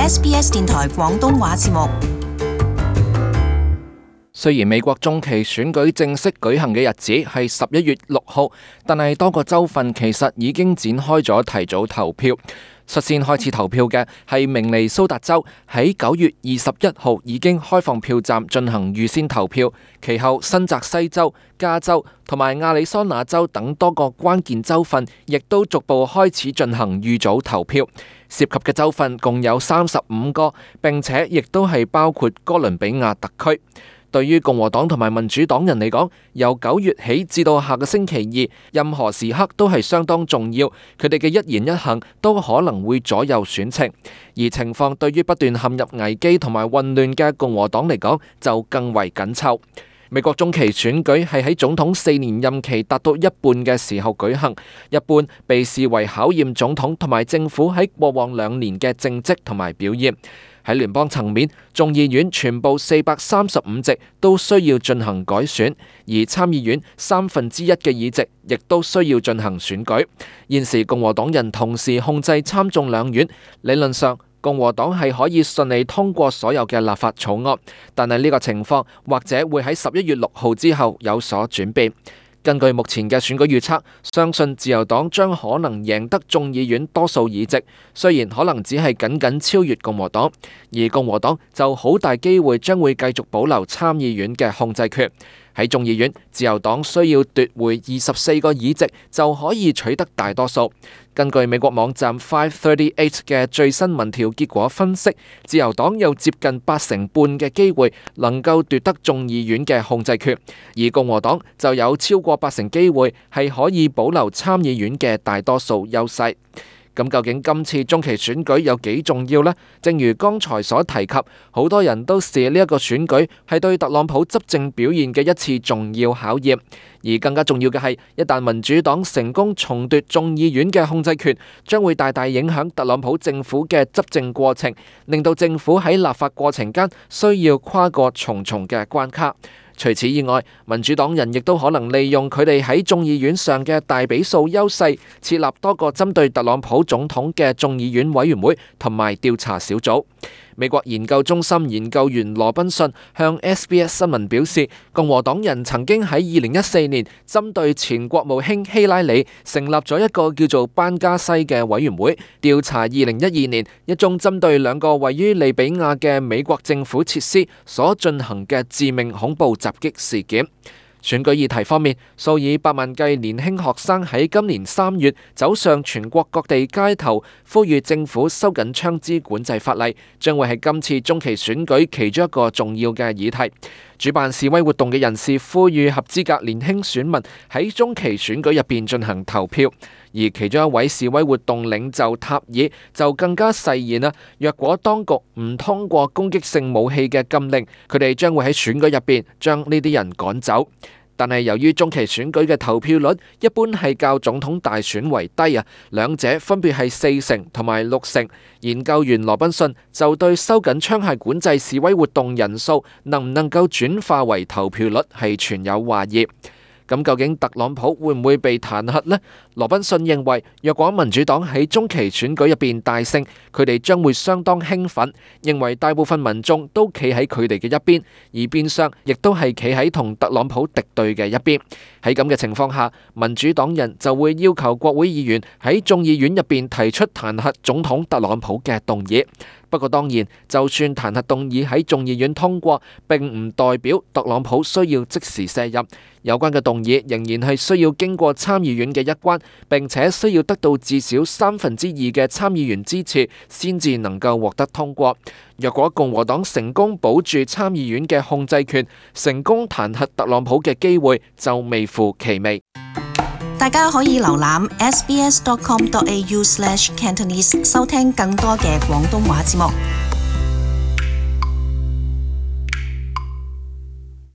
SBS 電台廣東話節目。雖然美國中期選舉正式舉行嘅日子係11月6號，但係多個州份其實已經展開咗提早投票。率先開始投票嘅係明尼蘇達州，喺9月21號已經開放票站進行預先投票。其後新澤西州、加州同埋亞利桑那州等多個關鍵州份，亦都逐步開始進行預早投票。涉及嘅州份共有35個，並且亦都係包括哥倫比亞特區。對於共和黨同埋民主黨人嚟講，由9月起至到下個星期二，任何時刻都係相當重要。佢哋嘅一言一行都可能會左右選情，而情況對於不斷陷入危機同埋混亂嘅共和黨嚟講，就更為緊湊。美國中期選舉係喺總統4年任期達到一半嘅時候舉行，一般被視為考驗總統同埋政府喺過往2年嘅政績同埋表現。喺聯邦層面，眾議院全部435席都需要進行改選，而參議院1/3嘅議席亦都需要進行選舉。現時共和黨人同時控制參眾兩院，理論上共和黨係可以順利通過所有嘅立法草案，但係呢個情況或者會喺11月6號之後有所轉變。根據目前嘅選舉預測，相信自由黨將可能贏得眾議院多數議席，雖然可能只係僅僅超越共和黨，而共和黨就好大機會將會繼續保留參議院嘅控制權。喺眾議院，自由黨需要奪回24個議席就可以取得大多數。根據美國網站538嘅最新民調結果分析，自由黨有接近80%嘅機會能夠奪得眾議院嘅控制權，而共和黨就有超過80%機會係可以保留參議院嘅大多數優勢。咁究竟今次中期選舉有幾重要呢？正如剛才所提及，好多人都視呢一個選舉係對特朗普執政表現嘅一次重要考驗。而更加重要嘅係，一旦民主黨成功重奪眾議院嘅控制權，將會大大影響特朗普政府嘅執政過程，令到政府喺立法過程間需要跨過重重嘅關卡。除此以外，民主黨人亦都可能利用佢哋喺眾議院上嘅大比數優勢，設立多個針對特朗普總統嘅眾議院委員會同埋調查小組。美國研究中心研究員羅賓遜向 SBS 新聞表示，共和黨人曾經喺2014年針對前國務卿希拉里成立咗一個叫做班加西嘅委員會，調查2012年一宗針對2個位於利比亞嘅美國政府設施所進行嘅致命恐怖襲擊事件。選舉議題方面，數以百萬計年輕學生喺今年3月走上全國各地街頭，呼籲政府收緊槍支管制法例，將會係今次中期選舉其中一個重要嘅議題。主辦示威活動嘅人士呼籲合資格年輕選民喺中期選舉入邊進行投票，而其中一位示威活動領袖塔爾就更加誓言啦，若果當局唔通過攻擊性武器嘅禁令，佢哋將會喺選舉入邊將呢啲人趕走。但係由於中期選舉嘅投票率一般係較總統大選為低啊，兩者分別係40%同埋60%。研究員羅賓遜就對收緊槍械管制示威活動人數能唔能夠轉化為投票率係存有懷疑。咁究竟特朗普會唔會被彈劾呢？羅賓遜認為，若果民主黨喺中期選舉入邊大勝，佢哋將會相當興奮，認為大部分民眾都企喺佢哋嘅一邊，而變相亦都係企喺同特朗普敵對嘅一邊。喺咁嘅情況下，民主黨人就會要求國會議員喺眾議院入邊提出彈劾總統特朗普嘅動議。不過當然，就算彈劾動議喺眾議院通過，並唔代表特朗普需要即時卸任。有關嘅動議仍然係需要經過參議院嘅一關，並且需要得到至少2/3嘅參議員支持，先至能夠獲得通過。若果共和黨成功保住參議院嘅控制權，成功彈劾特朗普嘅機會就微乎其微。大家可以瀏覽 sbs.com.au/cantonese 收聽更多嘅廣東話節目。